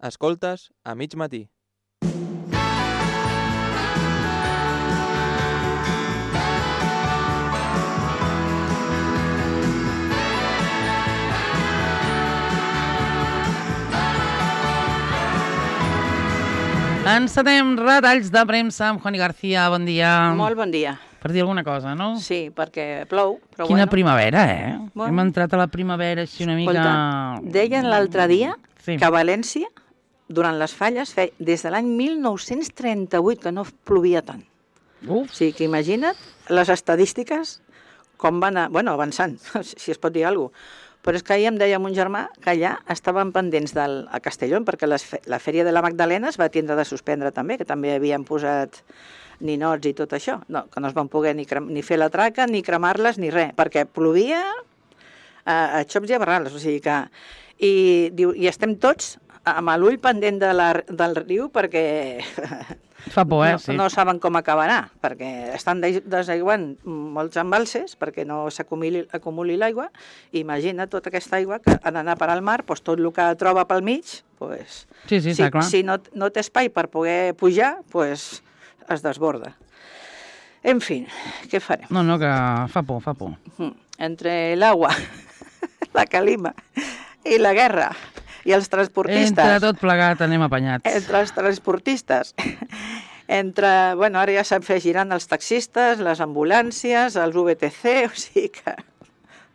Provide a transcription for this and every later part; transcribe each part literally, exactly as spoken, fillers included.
Escoltes a mig matí. Encetem retalls de premsa amb Juani García. Bon dia. Molt bon dia. Per dir alguna cosa, no? Sí, perquè plou, però Quina bueno. primavera, eh? Bueno. Hem entrat a la primavera així una mica... Escolta, deien l'altre dia Sí. que a València, durant les falles, fe... des de l'any mil nou-cents trenta-vuit que no plovia tant. Uf, O sigui que imagina't les estadístiques com van a... bueno, avançant, si es pot dir alguna cosa. Però és que ahir em deia mon germà que allà estaven pendents del, a Castellón, perquè les, fe- la Fèria de la Magdalena es va tindre de suspendre també, que també havien posat ninots i tot això. No, que no es van poder ni, crem, ni fer la traca, ni cremar-les, ni res, perquè plovia a, a xops i a barrals. O sigui que... I, diu, i estem tots amb l'ull pendent de la, del riu perquè fa por, eh? no, Sí. no saben com acabarà, perquè estan des- desaiguant molts embalses perquè no s'acumuli acumuli l'aigua, i imagina tota aquesta aigua que ha d'anar per al mar, doncs tot el que troba pel mig, doncs, Sí, sí, si, està clar. si no, no té espai per poder pujar, doncs es desborda. En fi, què farem? No, no, que fa por, fa por. Mm, Entre l'aigua, la calima i la guerra i els transportistes... Entre tot plegat anem apanyats. Entre els transportistes, entre, bueno, ara ja s'han fet girant els taxistes, les ambulàncies, els V T C, o sigui que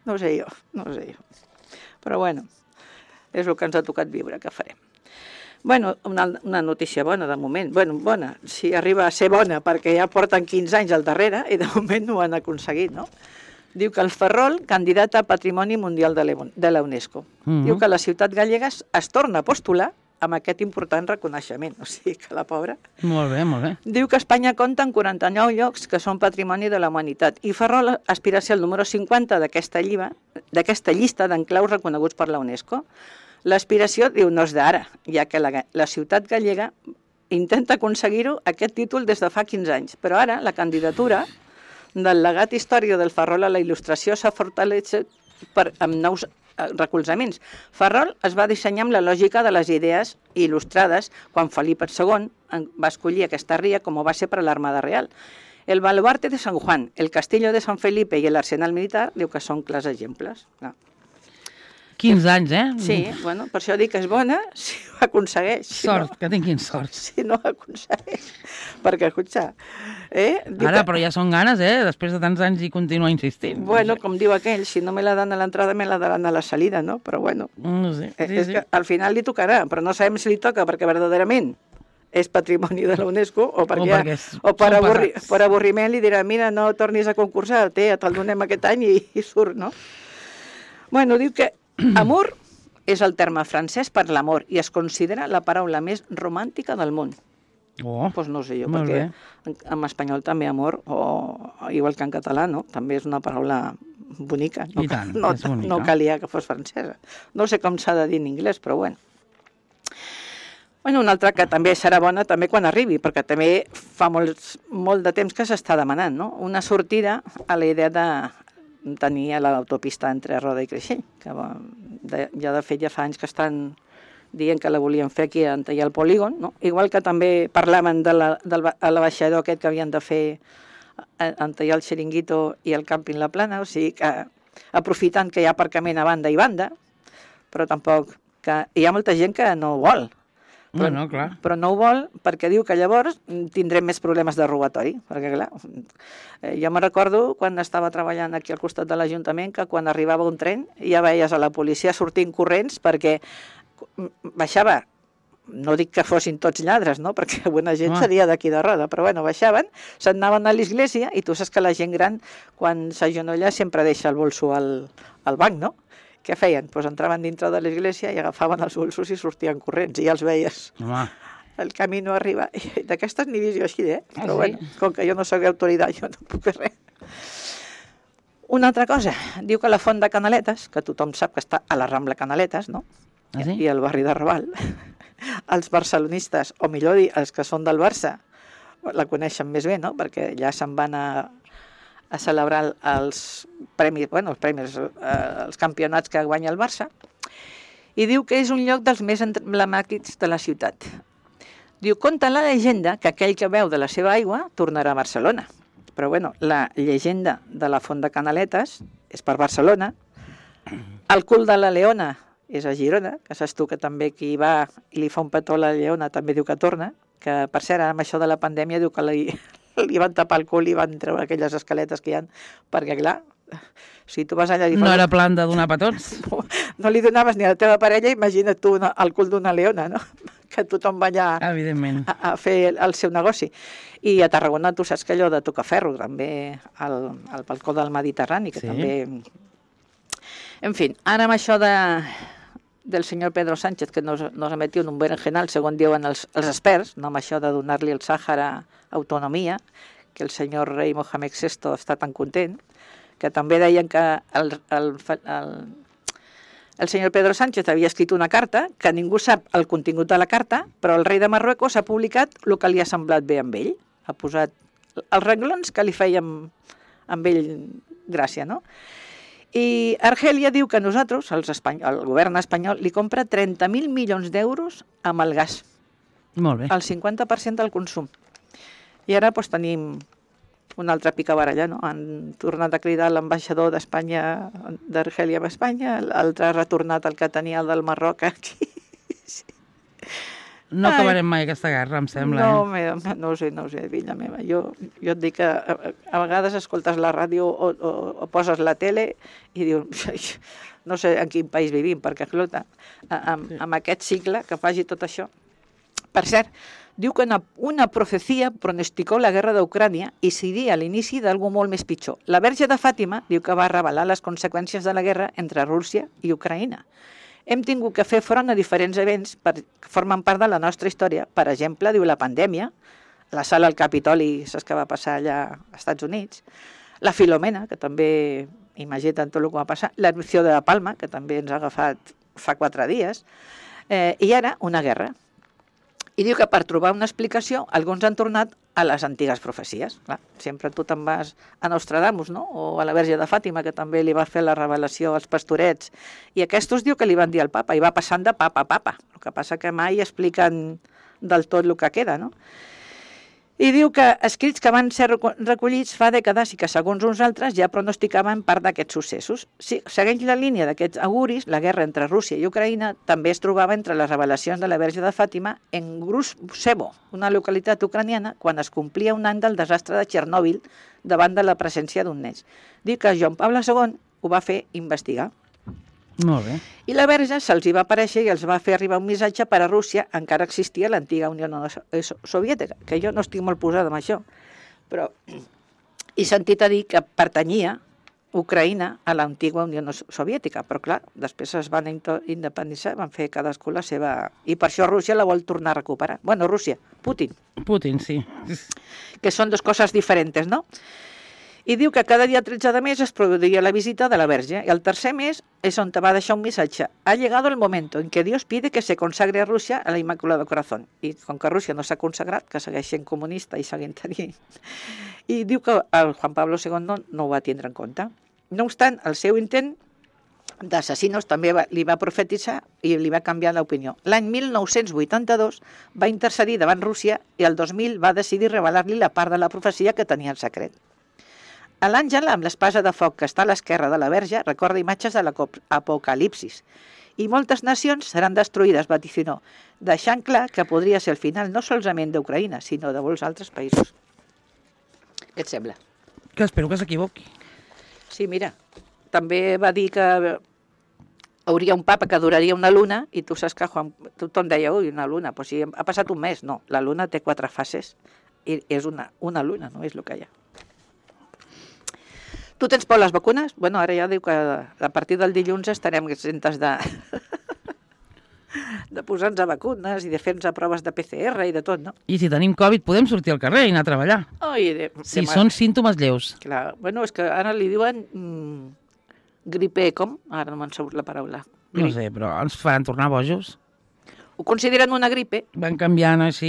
no ho sé jo, no ho sé jo. Però bueno, és el que ens ha tocat viure, que farem. Bueno, una, una notícia bona de moment. Bueno, bona, si arriba a ser bona, perquè ja porten quinze anys al darrere i de moment no ho han aconseguit, no? Diu que el Ferrol, candidat a Patrimoni Mundial de l'E- de la UNESCO. Mhm. Diu que la ciutat gallega es, es torna a postular amb aquest important reconeixement. O sigui que la pobra... Molt bé, molt bé. Diu que Espanya compta amb quaranta-nou llocs que són patrimoni de la humanitat i Ferrol aspira a ser el número cinquanta d'aquesta lliba- d'aquesta llista d'enclaus reconeguts per la UNESCO. L'aspiració, diu, no és d'ara, ja que la, ga- la ciutat gallega intenta aconseguir-ho aquest títol des de fa quinze anys, però ara la candidatura del legat històric del Ferrol a la il·lustració s'ha fortalès per, amb nous eh, recolzaments. Ferrol es va dissenyar amb la lògica de les idees il·lustrades quan Felip segon en- va escollir aquesta ria com ho va ser per a l'Armada Real. El baluarte de San Juan, el castillo de San Felipe i l'arsenal militar, diu que són clars exemples. No. quinze anys, eh? Sí, bueno, per això dic que és bona si ho aconsegueix. Si Sort, no, que tinguin sort. si no ho aconsegueix. Perquè, escolta, eh? Diu Ara, que- però ja són ganes, eh? Després de tants anys i continua insistint. Bueno, com diu aquell, si no me la dan a l'entrada, me la daran a la salida, no? Però bueno, No sé, eh, sí, és sí. que al final li tocarà, però no sabem si li toca perquè verdaderament és patrimoni de la UNESCO o, perquè O ja, perquè és- o per, són avorri, pesats. per avorriment li dirà, mira, no tornis a concursar, té, te'l donem aquest any i, i surt, no? Bueno, diu que amor és el terme francès per l'amor i es considera la paraula més romàntica del món. Oh, Doncs pues no sé jo, molt perquè bé. en, en espanyol també amor, o igual que en català, no? També és una paraula bonica. No, I tant, no, és bonica. no calia que fos francesa. No sé com s'ha de dir en anglès, però bueno. Bueno, una altra que també serà bona també quan arribi, perquè també fa molts, molt de temps que s'està demanant, no? Una sortida a la idea de tenir a l'autopista entre Roda i Creixell, que va, de, ja de fet ja fa anys que estan dient que la volien fer aquí a tallar el polígon, no? Igual que també parlaven de la, del ba- a l'abaixador aquest que havien de fer en tallar el Xiringuito i el càmping La Plana, o sigui que aprofitant que hi ha aparcament a banda i banda, però tampoc que hi ha molta gent que no ho vol. Però, Bueno, clar. però no ho vol perquè diu que llavors tindrem més problemes de robatori, perquè clar, eh, jo me recordo quan estava treballant aquí al costat de l'Ajuntament que quan arribava un tren ja veies a la policia sortint corrents perquè baixava, no dic que fossin tots lladres, no? Perquè bona gent Home. seria d'aquí de Roda, però bueno, baixaven, se'n anaven a l'església i tu saps que la gent gran quan s'agenolla sempre deixa el bolso al, al banc, no? Què feien? Pues entraven dintre de l'església i agafaven els bolsos i sortien corrents, i ja els veies. Home, El camí no arriba. I d'aquestes n'hi visió així, eh? Ah, Però sí? bueno, com que jo no soc autoritat, jo no puc fer res. Una altra cosa, diu que la font de Canaletes, que tothom sap que està a la Rambla Canaletes, no? Ah, sí? I al barri de Raval, els barcelonistes, o millor dir, els que són del Barça, la coneixen més bé, no? Perquè ja se'n van a, a celebrar els premis, bueno, els premis, eh, els campionats que guanya el Barça, i diu que és un lloc dels més emblemàtics de la ciutat. Diu, conta la llegenda que aquell que beu de la seva aigua tornarà a Barcelona. Però bueno, la llegenda de la Font de Canaletes és per Barcelona, el cul de la Leona és a Girona, que saps tu que també qui hi va i li fa un petó a la Leona també diu que torna, que per cert, amb això de la pandèmia diu que li, li van tapar el cul i van treure aquelles escaletes que hi ha, perquè clar, si tu vas allà... I No era plan de donar petons? No, no li donaves ni a la teva parella, imagina't tu una, el cul d'una leona, no? Que tothom va allà Evidentment. a, a fer el, el seu negoci. I a Tarragona tu saps que allò de Tocaferro, també al, al balcó del Mediterrani, que Sí. també... En fi, ara amb això de, del senyor Pedro Sánchez, que nos, nos ha metido en un berenjenal, segons diuen els, els experts, no amb això de donar-li al Sàhara autonomia, que el senyor rei Mohamed sexto està tan content, que també deien que el, el, el, el senyor Pedro Sánchez havia escrit una carta, que ningú sap el contingut de la carta, però el rei de Marruecos ha publicat el que li ha semblat bé amb ell. Ha posat els renglons que li feien amb ell gràcia, no? I Argèlia diu que nosaltres, els espany... el govern espanyol, li compra trenta mil milions d'euros amb el gas, Molt bé. el cinquanta per cent del consum. I ara doncs, tenim una altra picabaralla, no? Han tornat a cridar l'ambaixador d'Espanya, d'Argèlia a Espanya, l'altre ha retornat el que tenia el del Marroc aquí. No Ai. acabarem mai aquesta guerra, em sembla. No, eh? me, no ho sé, no ho sé, filla meva. Jo, jo et dic que a, a vegades escoltes la ràdio o, o, o poses la tele i dius, no sé en quin país vivim, perquè, escolta, amb, amb aquest cicle que faci tot això. Per cert, diu que una, una profecia pronosticó la guerra d'Ucrània i seria l'inici d'algú molt més pitjor. La Verge de Fàtima diu que va revelar les conseqüències de la guerra entre Rússia i Ucraïna. Hem tingut que fer front a diferents events per, que formen part de la nostra història. Per exemple, diu la pandèmia, la sala al Capitoli, saps què va passar allà als Estats Units, la Filomena, que també, imagina't tot el que va passar, l'erupció de la Palma, que també ens ha agafat fa quatre dies, eh, i ara una guerra. I diu que per trobar una explicació alguns han tornat a les antigues profecies. Clar, sempre tu te'n vas a Nostradamus, no? O a la Verge de Fàtima, que també li va fer la revelació als pastorets. I aquests diu que li van dir al papa, i va passant de papa a papa. El que passa que mai expliquen del tot el que queda, no? I diu que escrits que van ser recollits fa dècades i que, segons uns altres, ja pronosticaven part d'aquests successos. Si segueix la línia d'aquests auguris, la guerra entre Rússia i Ucraïna també es trobava entre les revelacions de la Verge de Fàtima en Gruzhevo, una localitat ucraniana, quan es complia un any del desastre de Txernòbil davant de la presència d'un nens. Diu que Joan Pablo segon ho va fer investigar. Molt bé. I la Verge se'ls hi va aparèixer i els va fer arribar un missatge per a Rússia, encara existia l'antiga Unió Soviètica, que jo no estic molt posada en això, però he sentit a dir que pertanyia Ucraïna a l'antiga Unió Soviètica, però clar, després es van independitzar, van fer cadascú la seva... I per això Rússia la vol tornar a recuperar. Bueno, Rússia, Putin, Putin, sí. que són dues coses diferents, no? I diu que cada dia tretze de mes es produiria la visita de la Verge. I el tercer mes és on te va deixar un missatge. Ha llegado el momento en que Dios pide que se consagre a Rússia a la Inmaculada Corazón. I com que Rússia no s'ha consagrat, que segueix sent comunista i seguint tenint... I diu que el Juan Pablo segon no, no ho va tindre en compte. No obstant, el seu intent d'assassinos també va, li va profetitzar i li va canviar l'opinió. L'any mil nou-cents vuitanta-dos va intercedir davant Rússia i el dos mil va decidir revelar-li la part de la profecia que tenia en secret. L'àngel, amb l'espasa de foc que està a l'esquerra de la Verge, recorda imatges de l'Apocalipsis. I moltes nacions seran destruïdes, vaticinó, deixant clar que podria ser el final no solament d'Ucraïna, sinó de molts altres països. Què et sembla? Que espero que s'equivoqui. Sí, mira, també va dir que hauria un papa que duraria una luna, i tu saps que Juan, tothom deia, ui, una luna, però si ha passat un mes. No, la luna té quatre fases, i és una, una luna, no és el que hi ha. Tu tens por a les vacunes? Bueno, ara ja diu que a partir del dilluns estarem exemptes de, de posar-nos a vacunes i de fer-nos proves de P C R i de tot, no? I si tenim Covid podem sortir al carrer i anar a treballar. Ai, de, Si de són símptomes lleus. Clar, bueno, és que ara li diuen mm, gripe, com? Ara no me'n surt la paraula. No sé, però ens faran tornar bojos. Ho consideren una gripe Van canviant així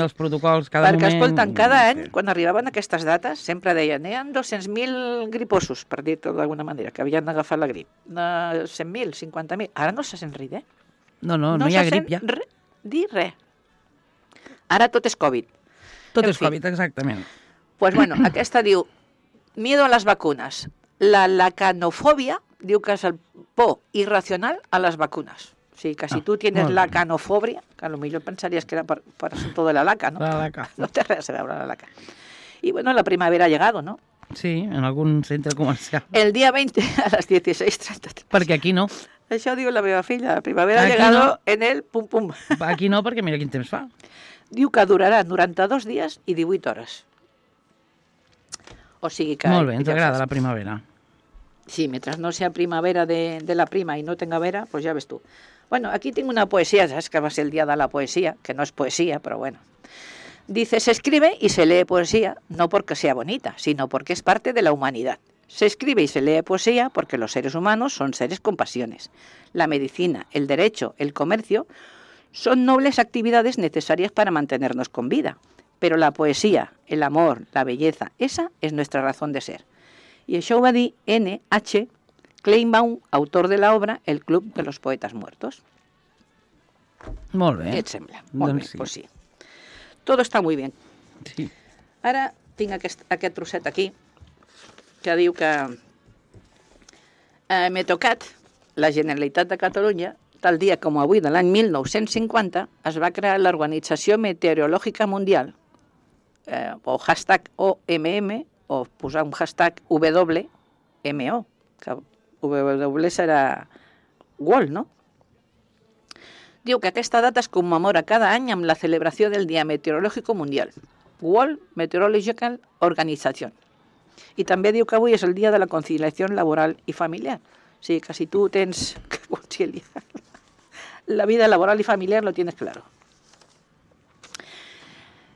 els protocols cada perquè, moment. escolten, cada No any, sé. quan arribaven aquestes dates, sempre deien, hi ha dos-cents mil griposos, per dir-ho d'alguna manera, que havien agafat la grip. De cent mil, cinquanta mil. Ara no se sent res, eh? No, no, no, no hi ha se grip ja. sent re, dir res. Ara tot és Covid. Tot En és fi. Covid, exactament. Pues bueno, aquesta diu, miedo a las vacunas. La lacanofobia diu que és el por irracional a les vacunes. O sigui, que si Ah, tu tienes molt bé. lacanofobia, que a lo millor pensaries que era per, per asunto de la laca, ¿no? La laca. No té res a veure la laca. Y bueno, la primavera ha llegado, ¿no? Sí, en algun centre comercial. El día veinte a las dieciséis treinta. Perquè aquí no. Això diu la meva filla, la primavera ha Aquí llegado no. en el pum pum. Aquí no, perquè mira quin temps fa. Diu que durarà noranta-dos dies i divuit hores. O sigui que... Molt bé, ens ja agrada saps. la primavera. Sí, mientras no sea primavera de, de la prima y no tenga vera, pues ya ves tú. Bueno, aquí tengo una poesía, sabes que va a ser el día de la poesía, que no es poesía, pero bueno. Dice, se escribe y se lee poesía, no porque sea bonita, sino porque es parte de la humanidad. Se escribe y se lee poesía porque los seres humanos son seres con pasiones. La medicina, el derecho, el comercio son nobles actividades necesarias para mantenernos con vida. Pero la poesía, el amor, la belleza, esa es nuestra razón de ser. I això ho va dir N H Kleinbaum, autor de la obra El Club de los Poetas Muertos. Molt bé. Què et sembla? Molt Doncs bé, sí. pues sí. Todo está muy bien. Sí. Ara tinc aquest, aquest trosset aquí que diu que eh, m'he tocat la Generalitat de Catalunya, tal dia com avui de l'any mil nou-cents cinquanta, es va crear l'Organització Meteorològica Mundial, eh, o hashtag O M M, o posar un hashtag W M O, que W serà World, no? Diu que aquesta data es commemora cada any amb la celebració del Dia Meteorològic Mundial, World Meteorological Organization. I també diu que avui és el dia de la conciliació laboral i familiar. O sigui que si tu tens que conciliar la vida laboral y familiar, lo tienes claro.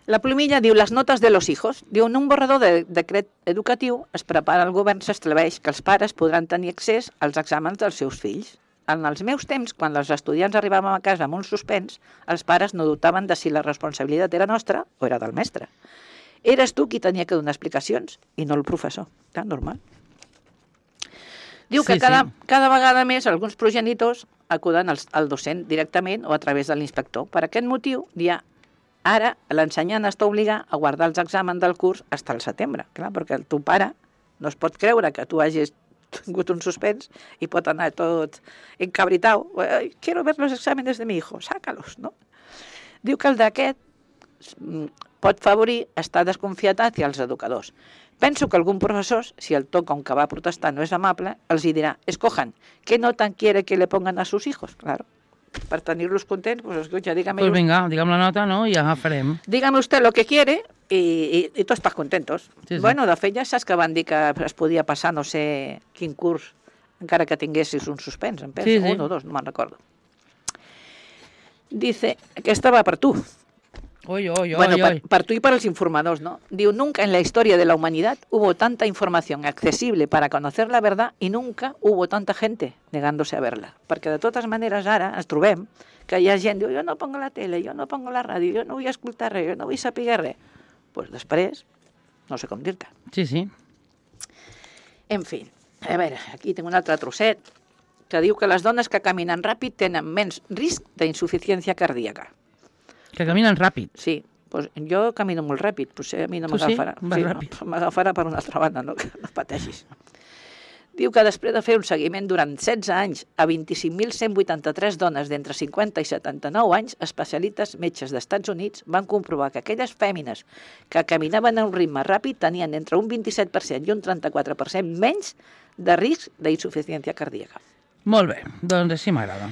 La plumilla diu les notes de los hijos. Diu, en un borrador de decret educatiu es prepara el govern, s'estableix que els pares podran tenir accés als exàmens dels seus fills. En els meus temps, quan els estudiants arribàvem a casa amb un suspens, els pares no dubtaven de si la responsabilitat era nostra o era del mestre. Eres tu qui tenia que donar explicacions i no el professor. Tan normal. Diu que Sí, cada, sí. cada vegada més alguns progenitors acuden al, al docent directament o a través de l'inspector. Per aquest motiu, dia, ara l'ensenyant està obligat a guardar els exàmens del curs fins al setembre. Clar, perquè el teu pare no es pot creure que tu hagis tingut un suspens i pot anar tot encabritau. Quiero ver los exámenes de mi hijo, sácalos, no? Diu que el d'aquest pot favorir estar desconfiat hacia els educadors. Penso que algun professor, si el to com que va protestar no és amable, els hi dirà, escojan, ¿qué nota quiere que le pongan a sus hijos? Claro, per tenir-los contents, pues escucha, dígame, Pues us- vinga, digue'm la nota, no? I ja farem. dígame usted lo que quiere y, y, y tots pas contentos. Sí, sí. Bueno, de fet ja saps que van dir que es podia passar no sé quin curs, encara que tinguessis un suspens, em penso, Sí, sí. un o dos, no me'n recordo. Dice, aquesta va per tu. Oi, oi, oi, Bueno, oi. para, para tú y para los informadores, ¿no? Digo, nunca en la historia de la humanidad hubo tanta información accesible para conocer la verdad y nunca hubo tanta gente negándose a verla. Perquè de totes maneres ara ens trobem que hi ha gent que diu, jo no pongo la tele, jo no pongo la ràdio, jo no vull escoltar res, jo no vull saber res. Doncs pues després, no sé com dir-te. Sí, sí. En fi, a veure, aquí tinc un altre trosset que diu que les dones que caminen ràpid tenen menys risc d'insuficiència cardíaca. Que caminen ràpid. Sí, pues jo camino molt ràpid, potser a mi no Tu sí? m'agafarà. Vas Sí, ràpid. no, m'agafarà per una altra banda, no, que no pateixis. Diu que després de fer un seguiment durant setze anys a vint-i-cinc mil cent vuitanta-tres dones d'entre cinquanta i setanta-nou anys, especialistes metges d'Estats Units van comprovar que aquelles fèmines que caminaven a un ritme ràpid tenien entre un vint-i-set per cent i un trenta-quatre per cent menys de risc d'insuficiència cardíaca. Molt bé, doncs així m'agrada.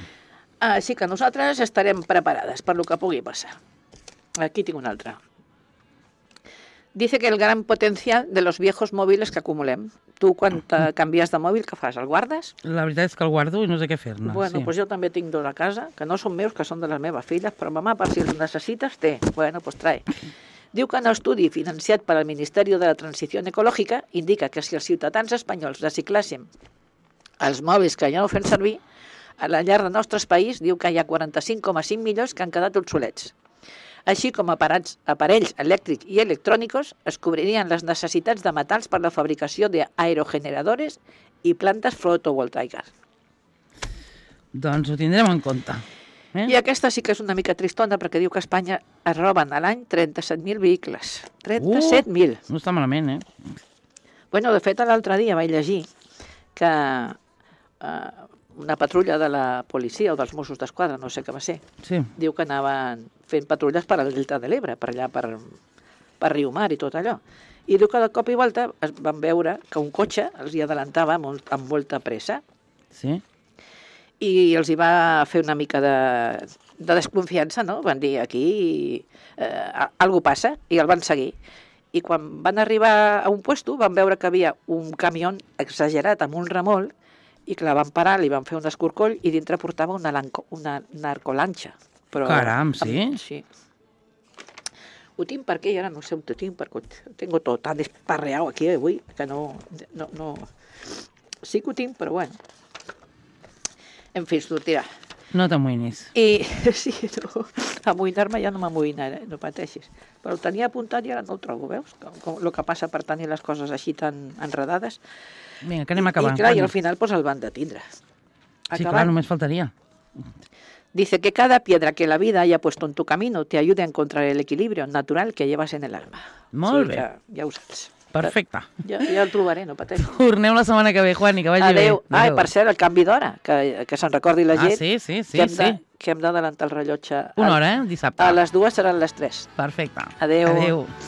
Així que nosaltres estarem preparades per lo que pugui passar. Aquí tinc una altra. Dice que el gran potencial de los viejos móviles que acumulem. Tu, quan te canvies de mòbil, què fas? El guardes? La veritat és que el guardo i no sé què fer-ne. Bueno, sí. pues jo també tinc dos a casa, que no són meus, que són de les meves filles, però mamà, per si els necessites, té. Bueno, pues trae. Diu que un estudi financiat per al Ministeri de la Transició Ecològica indica que si els ciutadans espanyols reciclàssim els mòbils que ja no fem servir, a la llar del nostre país diu que hi ha quaranta-cinc coma cinc milions que han quedat obsolets. Així com aparats, aparells elèctrics i electrònics es cobririen les necessitats de metalls per la fabricació d'aerogeneradores i plantes fotovoltaiques. Doncs ho tindrem en compte. Eh? I aquesta sí que és una mica tristona perquè diu que a Espanya es roben a l'any trenta-set mil vehicles. trenta-set mil. No està malament, eh? Bueno, de fet, l'altre dia vaig llegir que eh, una patrulla de la policia o dels Mossos d'Esquadra, no sé què va ser, Sí. diu que anaven fent patrulles per al Delta de l'Ebre, per allà, per, per Riumar i tot allò. I diu que de cop i volta es van veure que un cotxe els hi adelantava molt, amb molta pressa Sí? i els hi va fer una mica de, de desconfiança, no? Van dir, aquí eh, algú passa, i el van seguir. I quan van arribar a un puesto van veure que havia un camió exagerat amb un remolc i que la van parar, li van fer un escorcoll i dintre portava una, lanco, una narcolanxa. Però, Caram, sí? Amb, sí. Ho tinc per aquí, ara no sé on ho tinc, perquè ho tengo tot tan esparreau aquí avui que no, no, no... Sí que ho tinc, però bueno. En fi, sortirà. No t'amoïnis. I sí, no, amoïnar-me ja no m'amoïnaré, no pateixis. Però ho tenia apuntat i ara no el trobo, veus? Com, com, el que passa per tenir les coses així tan enredades. Vinga, que anem acabant. I clar, i Juan. al final pues, el van detindre. Sí, clar, només faltaria. Dice que cada piedra que la vida haya puesto en tu camino te ayude a encontrar el equilibrio natural que llevas en el alma. Molt O sigui bé. que ja ho saps. Perfecte. Ja, ja el trobaré, no pateixis. Tornem la setmana que ve, Juan, i que vagi Adéu. bé. Ah, i per cert, el canvi d'hora, que, que se'n recordi la Ah, gent. sí, sí, sí, que hem sí. de- que hem d'adelantar el rellotge. Una A- hora, eh? Dissabte. A les dues seran les tres. Perfecte. Adéu. Adéu.